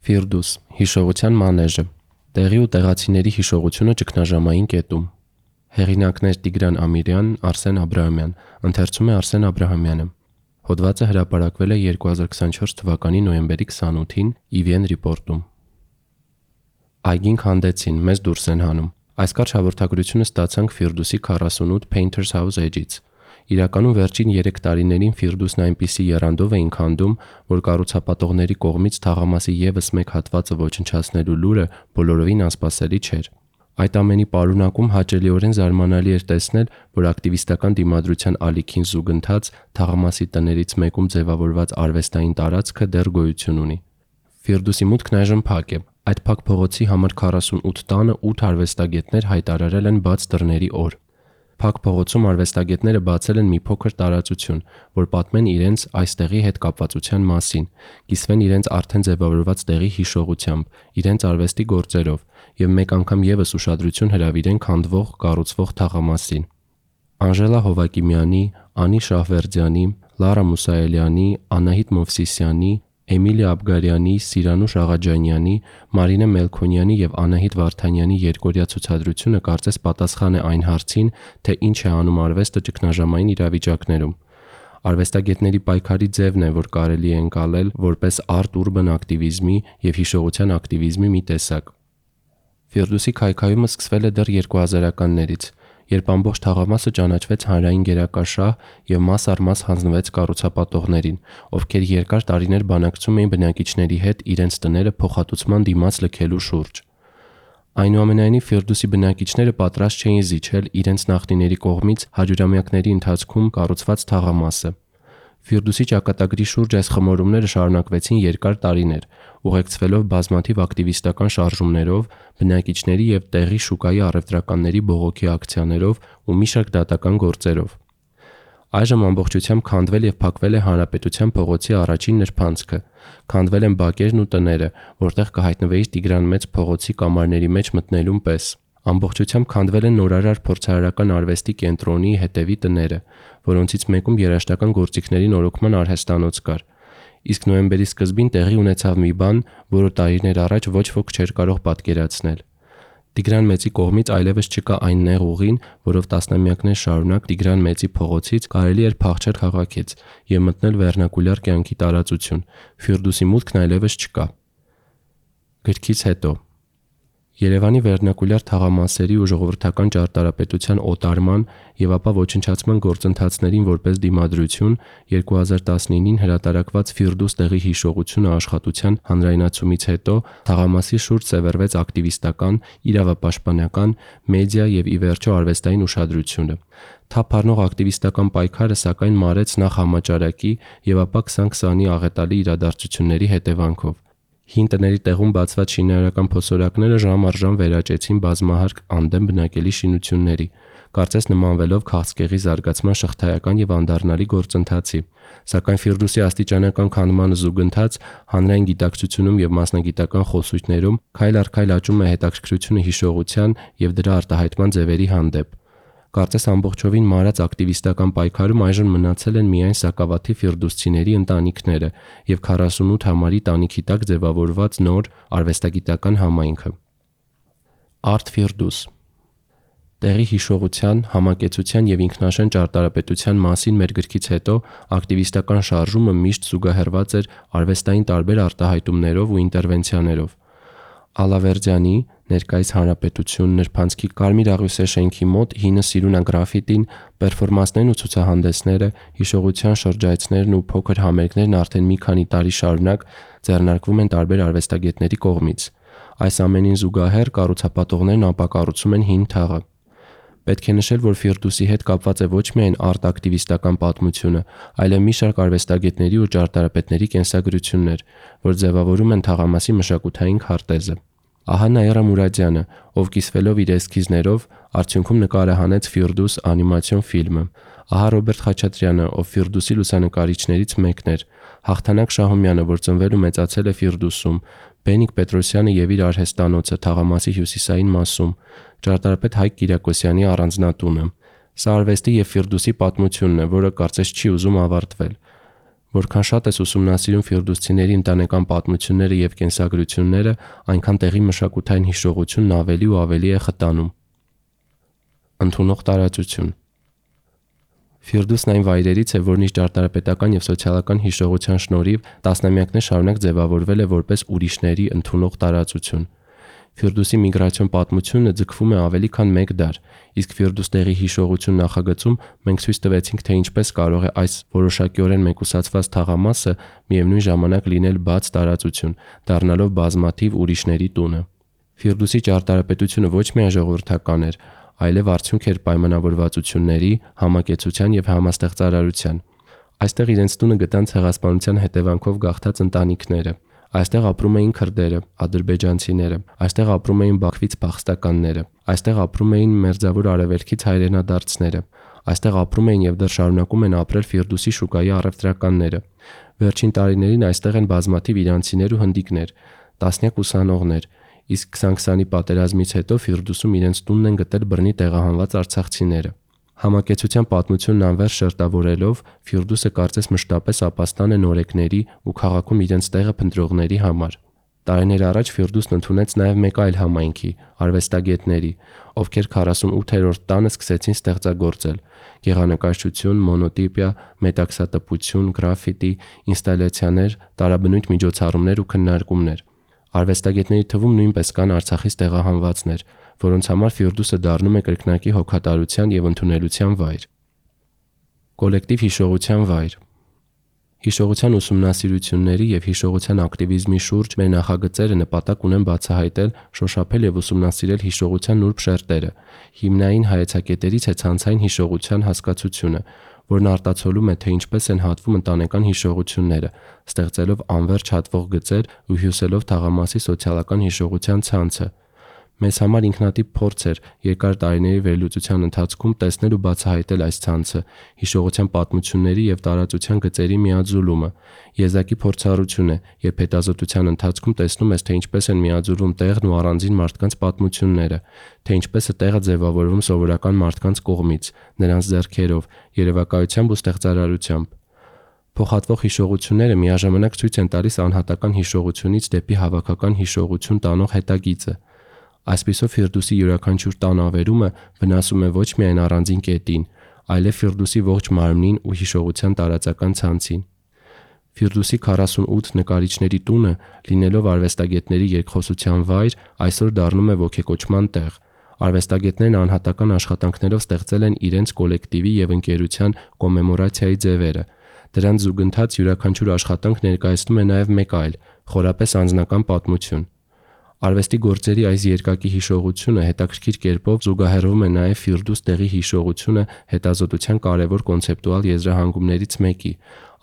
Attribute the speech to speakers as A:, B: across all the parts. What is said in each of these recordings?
A: Ֆիրդուս, հիշողության մանեժը, տեղի ու տեղացիների հիշողությունը ճգնաժամային կետում։ Հեղինակներ Տիգրան Ամիրյան, Արսեն Աբրահամյան, ընթերցում է Արսեն Աբրահամյանը։ Հոդվածը հրապարակվել է 2024 թվականի նոյեմբերի 28-ին EVN Report-ում։ Այգին քանդեցին, մեզ դուրս են հանում։ Այս կարճ հաղորդագրությունը ստացանք Ֆիրդուսի 48 Painter's House Edge-ից։ Իրականում վերջին 3 տարիներին Ֆիրդուսն այնպիսի եռանդով էին քանդում, որ կառուցապատողների կողմից թաղամասի ևս մեկ հատվածը ոչնչացնելու լուրը բոլորովին անսպասելի չէր։ Այդ ամենի պարունակում հաճելիորեն զարմանալի էր տեսնել, որ ակտիվիստական դիմադրության ալիքին զուգընթաց թաղամասի տներից մեկում ձևավորված արվեստային տարածքը դեռ գոյություն ունի։ Ֆիրդուսի մուտքն այժմ փակ է։ Այդ փակ փողոցի համար 48 տանը 8 արվեստագետներ հայտարարել են բաց դռների օր։ Փակ փողոցում արվեստագետները բացել են մի փոքր տարածություն, որ պատմեն իրենց այստեղի հետ կապվածության մասին, կիսվեն իրենց արդեն ձևավորված տեղի հիշողությամբ, իրենց արվեստի գործերով եւ մեկ անգամ եւս ուշադրություն հրավիրեն քանդվող, կառուցվող թաղամասին։ Անժելա Հովակիմյանի, Անի Շահվերդյանի, Լարա Մուսայելյանի, Անահիտ Մովսիսյանի, Էմիլիա Աբգարյանի, Սիրանուշ Աղաջանյանի, Մարինե Մելքոնյանի եւ Անահիտ Վարդանյանի երկօրյա ցուցադրությունը կարծես պատասխան է այն հարցին, թե ինչ է անում արվեստը ճգնաժամային իրավիճակներում։ Արվեստագետների պայքարի ձևն է, որ կարելի է ընկալել որպես արտ-ուրբան ակտիվիզմի եւ հիշողության ակտիվիզմի մի տեսակ։ Ֆիրդուսի քայքայումը սկսվել է դեռ 2000-ականներից, երբ ամբողջ թաղամասը ճանաչվեց հանրային գերակաշահ եւ մաս առ մաս հանձնվեց կառուցապատողներին, ովքեր երկար տարիներ բանակցում էին բնակիչների հետ իրենց տները փոխհատուցման դիմաց լքելու շուրջ։ Այնուամենայնիվ Ֆիրդուսի բնակիչները պատրաստ չէին զիջել իրենց նախնիների կողմից հարյուրամյակների ընթացքում կառուցված թաղամասը։ Ֆիրդուսի ճակատագրի շուրջ այս խմորումները շարունակվեցին երկար տարիներ, ուղեկցվելով բազմաթիվ ակտիվիստական շարժումներով, բնակիչների եւ տեղի շուկայի առևտրականների բողոքի ակցիաներով ու մի շարք դատական գործերով։ Այժմ ամբողջությամբ քանդվել եւ փակվել է Հանրապետության փողոցի առաջին նրբանցքը, քանդվել են բակերն ու տները, որտեղ կհայտնվեիր Տիգրան Մեծ փողոցի կամարների մեջ մտնելուն պես։ Ամբողջությամբ քանդվել են նորարար փորձարարական արվեստի կենտրոնի հետևի տները, որոնցից մեկում երաժշտական գործիքների նորոգման արհեստանոց կար։ Իսկ նոյեմբերի սկզբին տեղի ունեցավ մի բան, որը տարիներ առաջ ոչ ոք չէր կարող պատկերացնել։ Տիգրան Մեծի կողմից այլևս չկա այն նեղ ուղին, որով տասնամյակներ շարունակ Տիգրան Մեծի փողոցից կարելի էր փախչել քաղաքից եւ մտնել վերնակուլյար կյանքի տարածություն։ Ֆիրդուսի մուտքն այլևս չկա։ Գրքից հետո Երևանի վերնակուլյար թաղամասերի ու ժողովրդական ճարտարապետության օտարման եւ ապա ոչնչացման գործընթացներին որպես դիմադրություն 2019-ին հրատարակված Ֆիրդուս տեղի հիշողությունը աշխատության հանրայնացումից հետո թաղամասի շուրջ սևեռվեց ակտիվիստական, իրավապաշտպանական, մեդիա եւ ի վերջո արվեստային ուշադրությունը։ Թափ առնող ակտիվիստական պայքարը սակայն մարեց նախ համաճարակի եւ ապա 2020-ի աղետալի իրադարձությունների հետևանքով։ Հին տների տեղում բացված շինարարական փոսորակները ժամ առ ժամ վերաճեցին բազմահարկ անդեմ բնակելի շինությունների, կարծես նմանվելով քաղցկեղի զարգացման շղթայական եւ անդառնալի գործընթացի, սակայն Ֆիրդուսի աստիճանական քանդմանը զուգընթաց հանրային գիտակցությունում եւ մասնագիտական խոսույթներում քայլ առ քայլ աճում է հետաքրքրությունը հիշողության եւ դրա արտահայտման ձևերի հանդեպ։ Կարծես ամբողջովին մարած ակտիվիստական պայքարում այժմ մնացել են միայն սակավաթիվ ֆիրդուսցիների ընտանիքները եւ 48 համարի տանիքի տակ ձևավորված նոր արվեստագիտական համայնքը։ Արտ Ֆիրդուս Տեղի հիշողության, համակեցության եւ ինքնաշեն ճարտարապետության մասին մեր գրքից հետո ակտիվիստական շարժումը միշտ զուգահեռված էր արվեստային տարբեր արտահայտումներով ու ինտերվենցիաներով։ Ալավերդյանի ներկայիս Հանրապետություն նրբանցքի Կարմիր աղյուսե շենքի մոտ հինը Սիրունա գրաֆիտին, պերֆորմանսներն ու ցուցահանդեսները, հիշողության շրջայցներն ու փոքր համերգներն արդեն մի քանի տարի շարունակ ձեռնարկվում են տարբեր արվեստագետների կողմից։ Այս ամենին զուգահեռ կառուցապատողներն ապակառուցում են հին թաղը։ Պետք է նշել, որ Ֆիրդուսի հետ կապված է ոչ միայն արտ-ակտիվիստական պատմությունը, այլև մի շարք արվեստագետների ու ճարտարապետների կենսագրություններ, որ ձևավորում են թաղամասի մշակութային քարտեզը։ Ահա Նաիրա Մուրադյանը, ով կիսվելով իր էսքիզներով արդյունքում նկարը հանեց Ֆիրդուս անիմացիոն ֆիլմը։ Ահա Ռոբերտ Խաչատրյանը, ով Ֆիրդուսի լուսանկարիչներից մեկն էր։ Հաղթանակ Շահումյանը, որ ծնվել ու մեծացել է Ֆիրդուսում։ Բենիկ Պետրոսյանը եւ իր արհեստանոցը թաղամասի հյուսիսային մասում։ Ճարտարապետ Հայկ Կիրակոսյանի առանձնատունը։ Սա արվեստի եւ Ֆիրդուսի պատմությունն է, որը կարծես չի ուզում ավարտվել։ Որքան շատ ես ուսումնասիրում ֆիրդուսցիների ընտանեկան պատմությունները եւ կենսագրությունները, այնքան տեղի մշակութային հիշողությունն ավելի ու ավելի է խտանում։ Ընդունող տարածություն։ Ֆիրդուսն այն վայրերից է, որն իր ճարտարապետական եւ սոցիալական հիշողության շնորհիվ տասնամյակներ շարունակ ձևավորվել է որպես ուրիշների ընդունող տարածություն։ Ֆիրդուսի միգրացիոն պատմությունը ձգվում է ավելի քան 1 դար, իսկ Ֆիրդուստեղի հիշողություն նախագծում մենք ցույց տվեցինք, թե ինչպես կարող է այս որոշակիորեն մեկուսացված թաղամասը միևնույն ժամանակ լինել բաց տարածություն, դառնալով բազմաթիվ ուրիշների տունը։ Ֆիրդուսի ճարտարապետությունը ոչ միայն ժողովրդական էր, այլև արդյունք էր պայմանավորվածությունների, համակեցության եւ համաստեղծարարության։ Այստեղ իրենց տունը գտան ցեղասպանության հետևանքով գաղթած ընտանիքները։ Այստեղ ապրում էին քրդերը, ադրբեջանցիները, այստեղ ապրում էին Բաքվից փախստականները, այստեղ ապրում էին մերձավոր արևելքից հայրենադարձները, այստեղ ապրում էին եւ դեռ շարունակում են ապրել Ֆիրդուսի շուկայի առևտրականները։ Վերջին տարիներին այստեղ են բազմաթիվ իրանցիներ ու հնդիկներ, տասնյակ ուսանողներ, իսկ 20-ի պատերազմից հետո Ֆիրդուսում իրենց տունն են գտել բռնի տեղահանված արցախցիները։ Համակեցության պատմությունն անվերջ շերտավորելով Ֆիրդուսը կարծես մշտապես ապաստան է նորեկների ու քաղաքում իրենց տեղը փնտրողների համար։ Տարիներ առաջ Ֆիրդուսն ընդունեց նաև մեկ այլ համայնքի՝ արվեստագետների, ովքեր 48-րդ տանը սկսեցին ստեղծագործել՝ գեղանկարչություն, մոնոտիպիա, մետաքսատպություն, գրաֆիտի, ինստալյացիաներ, տարաբնույթ միջոցառումներ ու քննարկումներ։ Արվեստագետների թվում նույնպես կան Արցախից տեղահանվածներ, որոնց համար Ֆիրդուսը դառնում է կրկնակի հոգատարության եւ ընդունելության վայր։ Կոլեկտիվ հիշողության վայր։ Հիշողության ուսումնասիրությունների եւ հիշողության ակտիվիզմի շուրջ մեր նախագծերը նպատակ ունեն բացահայտել, շոշափել եւ ուսումնասիրել հիշողության նուրբ շերտերը։ Հիմնային հայեցակետերից է ցանցային հիշողության հասկացությունը, որն արտացոլում է, թե ինչպես են հատվում ընտանեկան հիշողությունները, ստեղծելով անվերջ հատվող գծեր ու հյուսելով թաղամասի սոցիալական հիշողության ցանցը։ Մեզ համար ինքնատիպ փորձ էր երկար տարիների վերլուծության ընթացքում տեսնել ու բացահայտել այս ցանցը, հիշողության պատմությունների եւ տարածության գծերի միաձուլումը։ Եզակի փորձառություն է, երբ հետազոտության ընթացքում տեսնում ես, թե ինչպես են միաձուլվում տեղն ու առանձին մարդկանց պատմությունները, թե ինչպես է տեղը ձևավորվում սովորական մարդկանց կողմից, նրանց ձեռքերով, երևակայությամբ ու ստեղծարարությամբ։ Փոխհատվող հիշողությունները միաժամանակ ցույց են տալիս անհատական հիշողությունից դեպի հավաքական հիշողություն տանող հետագիծը։ Այսպիսով Ֆիրդուսի յուրաքանչյուր տան ավերումը վնասում է ոչ միայն առանձին կետին, այլև Ֆիրդուսի ողջ մարմնին ու հիշողության տարածական ցանցին։ Ֆիրդուսի 48 նկարիչների տունը, լինելով արվեստագետների երկխոսության վայր, այսօր դառնում է ոգեկոչման տեղ։ Արվեստագետներն անհատական աշխատանքներով ստեղծել են իրենց կոլեկտիվի եւ ընկերության կոմեմորացիայի ձևերը։ Դրանց զուգընթաց յուրաքանչյուր աշխատանք ներկայացնում է նաեւ մեկ այլ, խորապես անձնական պատմություն։ Արվեստի գործերի այս երկակի հիշողությունը հետաքրքիր կերպով զուգահեռվում է նաև Ֆիրդուս տեղի հիշողությունը հետազոտության կարևոր կոնցեպտուալ եզրահանգումներից մեկի՝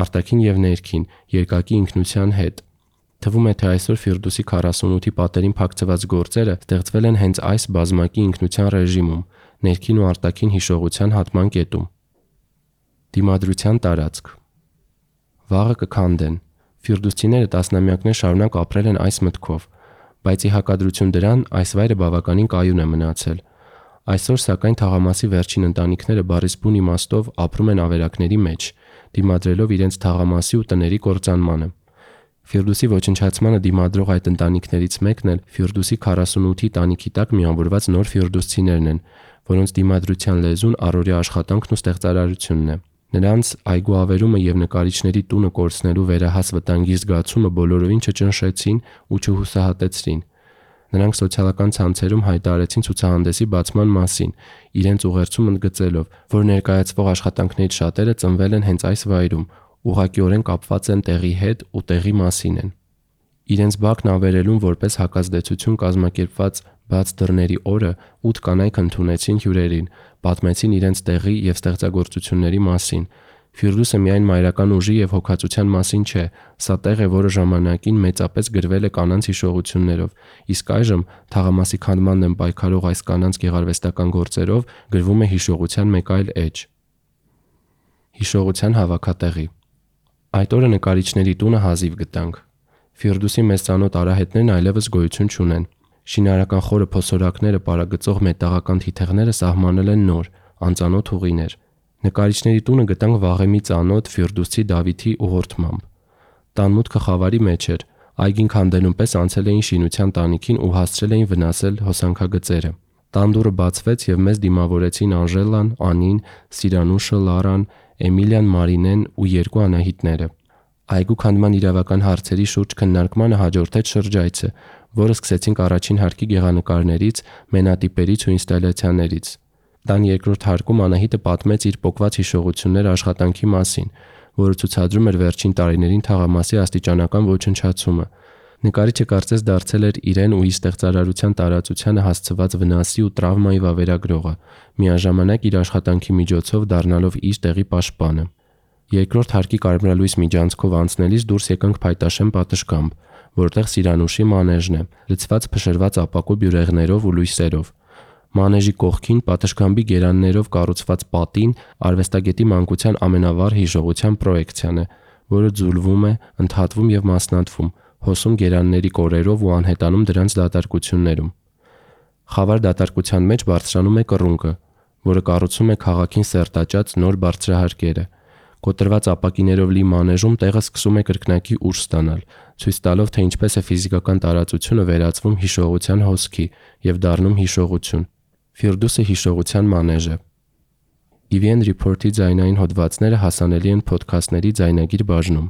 A: արտաքին եւ ներքին, երկակի ինքնության հետ։ Թվում է, թե այսօր Ֆիրդուսի 48-ի պատերին փակցված գործերը ստեղծվել են հենց այս բազմակի ինքնության ռեժիմում, ներքին ու արտաքին հիշողության հատման կետում։ Դիմադրության տարածք։ Վաղը կքանդեն։ Ֆիրդուսցիները տասնամյակներ շարունակ ապրել են այս մտքով, բայց ի հակադրություն դրան այս վայրը բավականին կայուն է մնացել։ Այսօր սակայն թաղամասի վերջին ընտանիքները բառից բուն իմաստով ապրում են ավերակների մեջ, դիմադրելով իրենց թաղամասի ու տների կործանմանը։ Ֆիրդուսի ոչնչացմանը դիմադրող այդ ընտանիքներից մեկն էլ Ֆիրդուսի 48-ի տանիքի տակ միավորված նոր ֆիրդուսցիներն են, որոնց դիմադրության լեզուն առօրյա աշխատանքն ու ստեղծարարությունն է։ Նրանց այգուավերումը եւ նկարիչների տունը կորցնելու վերահաս վտանգի զգացումը բոլորովին չճնշեցին ու չհուսահատեցրին։ Նրանք սոցիալական ցանցերում հայտարարեցին ցուցահանդեսի բացման մասին, իրենց ուղերձում ընդգծելով, որ ներկայացվող աշխատանքներից շատերը ծնվել են հենց այս վայրում, ուղղակիորեն կապված են տեղի հետ ու տեղի մասին են։ Իրենց բակն ավերելուն որպես հակազդեցություն կազմակերպված բաց դռների օրը 8 կանայք ընդունեցին հյուրերին, պատմեցին իրենց տեղի եւ ստեղծագործությունների մասին։ Ֆիրդուսը միայն մայրական ուժի եւ հոգացության մասին չէ, սա տեղ է, որը ժամանակին մեծապես գրվել է կանանց հիշողություններով, իսկ այժմ թաղամասի քանդման դեմ պայքարող այս կանանց գեղարվեստական գործերով գրվում է հիշողության մեկ այլ էջ։ Հիշողության հավաքատեղի։ Այդ օրը նկարիչների տունը հազիվ գտանք։ Ֆիրդուսի մեծ ծանոթ արահետներն այլևս գոյություն չունեն։ Շինարական խորը փոսորակները պարագծող մետաղական թիթեղները սահմանել են նոր, անծանոթ ուղիներ։ Նկարիչների տունը գտանք վաղեմի ծանոթ Ֆիրդուսի Դավիթի ուղղորդմամբ։ Տան մուտքը խավարի մեջ էր, այգին քանդելուն պես անցել էին շինության տանիքին ու հասցրել էին վնասել հոսանքագծերը։ Տան դուռը բացվեց եւ մեզ դիմավորեցին Անժելան, Անին, Սիրանուշը, Լարան, Էմիլիան, Մարինեն ու երկու Անահիտները։ Այգու քանդման իրավական հարցերի շուրջ քննարկմանը հաջորդեց շրջայցը, որը սկսեցինք առաջին հարկի գեղանկարներից, մենատիպերից ու ինստալյացիաներից։ Տան երկրորդ հարկում Անահիտը պատմեց իր պոկված հիշողությունները աշխատանքի մասին, որը ցուցադրում էր վերջին տարիներին թաղամասի աստիճանական ոչնչացումը։ Նկարիչը կարծես դարձել էր իրեն ու իր ստեղծարարության տարածությանը հասցված վնասի ու տրավմայի վավերագրողը, միաժամանակ իր աշխատանքի միջոցով դառնալով իր տեղի պաշտպանը։ Երկրորդ հարկի կարմրալույս միջանցքով անցնելիս դուրս եկանք Փայտաշեն պատշգամբ, որտեղ Սիրանուշի մանեժն է, լցված փշրված ապակու բյուրեղներով ու լույսերով։ Մանեժի կողքին պատշգամբի գերաններով կառուցված պատին արվեստագետի մանկության ամենավառ հիշողության պրոյեկցիան է, որը ձուլվում է, ընդհատվում եւ մասնատվում, հոսում գերանների կորերով ու անհետանում դրանց դատարկություններում։ Խավար դատարկության մեջ բարձրանում է կռունկը, որը կառուցում է քաղաքին սերտաճած նոր բարձրահարկերը։ Կոտրված ապակիներով լի մանեժում տեղը սկսում է կրկնակի ուժ ստանալ, ցույց տալով, թե ինչպես է ֆիզիկական տարածությունը վերածվում հիշողության հոսքի եւ դառնում հիշողություն։ Ֆիրդուսը հիշողության մանեժ է։ EVN Report-ի ձայնային հոդվածները հասանելի են փոդքասթների ձայնագիր բաժնում։